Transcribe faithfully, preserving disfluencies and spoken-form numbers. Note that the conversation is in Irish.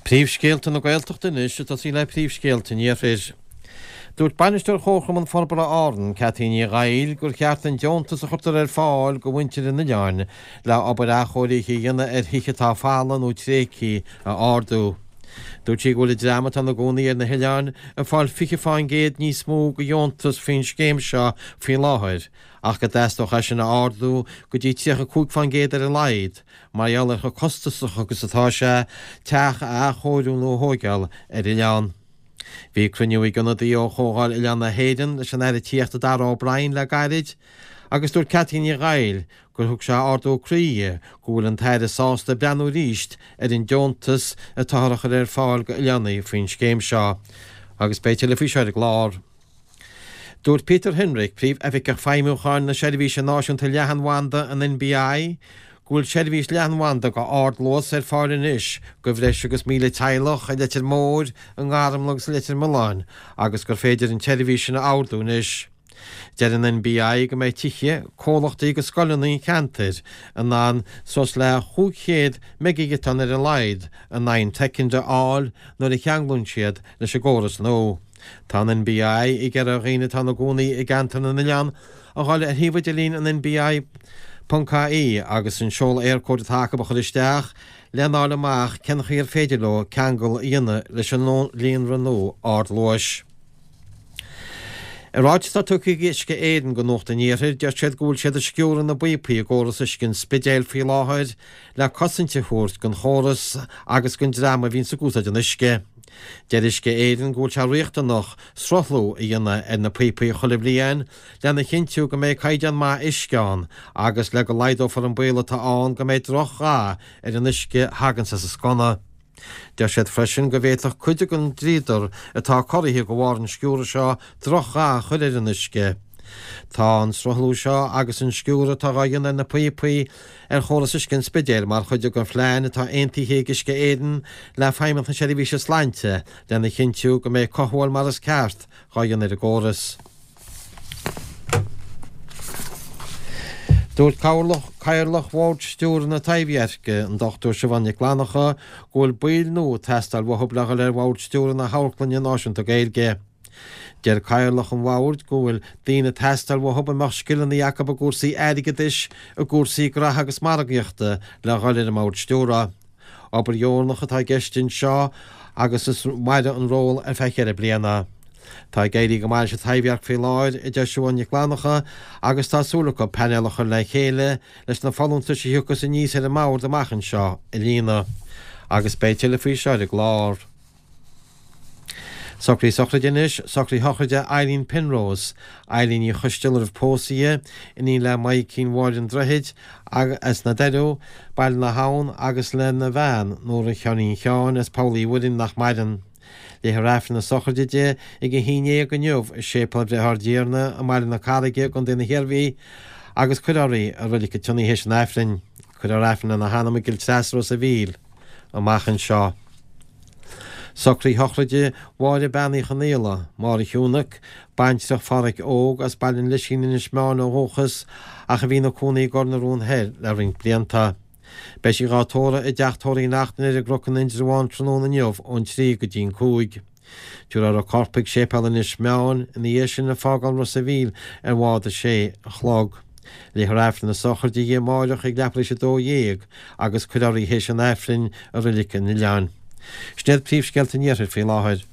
Príomhscéalta na Gaeltachta anois ag tosaí le príomhscéalta an Iarthair. Dúirt Bainisteoir Chomharchumann Forbartha Árann, Cathy Ní Dhaill, gur cheart an deontas a chuirtear ar fáil go mhuintir an oileáin le obair athchóirithe a dhéanamh ar thithe atá folamh nó tréigthe a ardú. Dúirt sí go bhfuil an dream atá ina gcónaí ar na hoileáin ag fáil fiche fán gcéad níos mó de dheontas faoin scéim seo faoi láthair ach go dteastódh é sin a ardú go dtí tríocha cúig fán gcéad ar a laghad mar gheall ar chomh costasach agus atá sé teach a athchóiriú nó a thóigeáil ar oileán. Bhí cruinniú ag ionadaí ó Chomhdháil Oileán na hÉireann leis an Aire Tithíochta Darragh O'Brien le gairid agus dúirt Cathy Ní Dhaill gur thug sé ardú croí di go bhfuil an tAire sásta breathnú arís ar an deontas atáthar a chur ar fáil go oileánaigh faoin scéim seo. Agus beidh tuilleadh faoi seo ar an gclár. Dúirt Peter Hinrich, Príomh-Oifigeach Feidhmiúcháin na Seirbhíse Náisiúnta Leathanbhanda, an NBI, go bhfuil seirbhís leathanbhanda go ardluas ar fáil anois go bhreis agus míle teaghlach i Leitir Móir, i nGarmlaith agus i Leitir Mealláin agus gur féidir an tseirbhís sin a ordú anois. Deir an NBI go mbeidh tithe, comhlachtaí agus scoileanna an cheantair in ann suas le chúig chéad meigighiotán ar a laghad in aghaidh an tsoicind a fháil nuair a cheanglaíonn siad leis an gcóras nua. Tá an NBI ag iarraidh ar dhaoine atá ina gcónaí i gceantar na n-oileán a dhul ar shuíomh idirlín an NBI ponc ie agus an seoladh Eircode atá acu a chur isteach lena fháil amach cén chaoi ar féidir leo ceangal a dhéanamh leis an líonra nua ardluais. I ráiteas atá tugtha ag Uisce Éireann go Nuacht an Iarthair, deir siad go bhfuil siad ag sciúradh na bpíopaí i gcóras uisce an Spidéil faoi láthair le cosaint a thabhairt don chóras agus don dream a bhíonns ag úsáid an uisce. Deir Uisce Éireann go bhfuil sé riachtanach sruthlú a dhéanamh ar na píopaí chuile bhliain lena chinntiú go mbeidh caighdeán maith uisce ann agus le go laghdófar an baol atá ann go mbeidh droch-dhath ar an uisce a thaganns as an sconna. Deir siad freisin go bhféadfadh cuid den dríodar atá corraithe de bharr an sciúradh seo drochdhath a chur ar an uisce. Tá an sruthlú seo agus an sciúradh atá á dhéanamh ar na píopaí ar chóras uisce an Spidéil mar chuid den phlean atá aontaithe ag Uisce Éireann le Feidhmeannacht na Seirbhíse Sláinte lena chinntiú go mbeidh cothabháil mar is ceart dhá dhéanamh ar an gcóras. Dúirt Cathaoirleach Bhord Stiúrtha na Taibhdheirce, an Dochtúir Siobhán Nic Fhlannchadha, go bhfuil baill nua ag teastáil uathu le dhul ar Bhord Stiúrtha na hAmharclainne Náisiúnta Gaeilge. Deir Cathaoirleach an Bhoird go bhfuil daoine ag teastáil uathu a mbeadh scileanna acu i gcúrsaí airgeadais, i gcúrsaí graithe agus margaíochta le dhul ar an mBord Stiúrtha. Obair dheonach atá i gceist anseo agus is mairfidh an ról ar feadh ceithre bliana. Tá ag éirí go maith leis an Taibhdhearc faoi láthair, a deir Siobhán Nic Fhlannchadha, agus tá súil acu painéal a chur le chéile leis na folúntais a thiocfas aníos ar an mbord amach anseo a líonadh. Agus beidh tuilleadh faoi seo ar an gclár. Socruithe sochraide anois, socraithe sochraide Eileen Penrose, Eileen Ní Choisteala roimh pósadh di, iníon le Maidhcín Mháire an Droichid, as na Doireadh, Baile na hAbhann, agus lena bhean, Nóra Sheáinín Sheáin, as Poll Uí Mhuirinn, nach maireann. Léifear Aifreann na sochraide di ag a haon déag inniu i Séipéal Bhreithe Ár dTiarna i mBaile na Carraige i gContae na hIarmhí agus cuirfear í i Reilig an tSionnaigh théis an Aifrinn. Cuirfear Aifreann lena hanam i gCill Treasa Ros a' Mhíl amach anseo. Socruithe sochraide Mháire Bean Uí Chonaola, Máire Shiúnac, baintreach Phádhraic Óg as Baile an Lisín Inis Meáin ó dhúchas ach a bhí ina cónaí i gCor na Rón Thoir le roinnt blianta. Beidh sí dhá tórramh i dteach tórraimh Uí Neachtain ar an gCnoc in Indreabhán tráthnóna inniu ón trí go dtí an cúig. Tabharfar a corp chuig Séipéal Inis Meáin ina dhiaidh sin ag fágáil Ros a' Mhíl ar bhád a sé a chlog. Léifear Aifreann na sochraide di amáireach ag leathuair tar éis a dó dhéag agus cuirfear í théis an Aifrinn i Reilig an Oileáin. Sin iad príomhscéalta an Iarthair faoi láthair.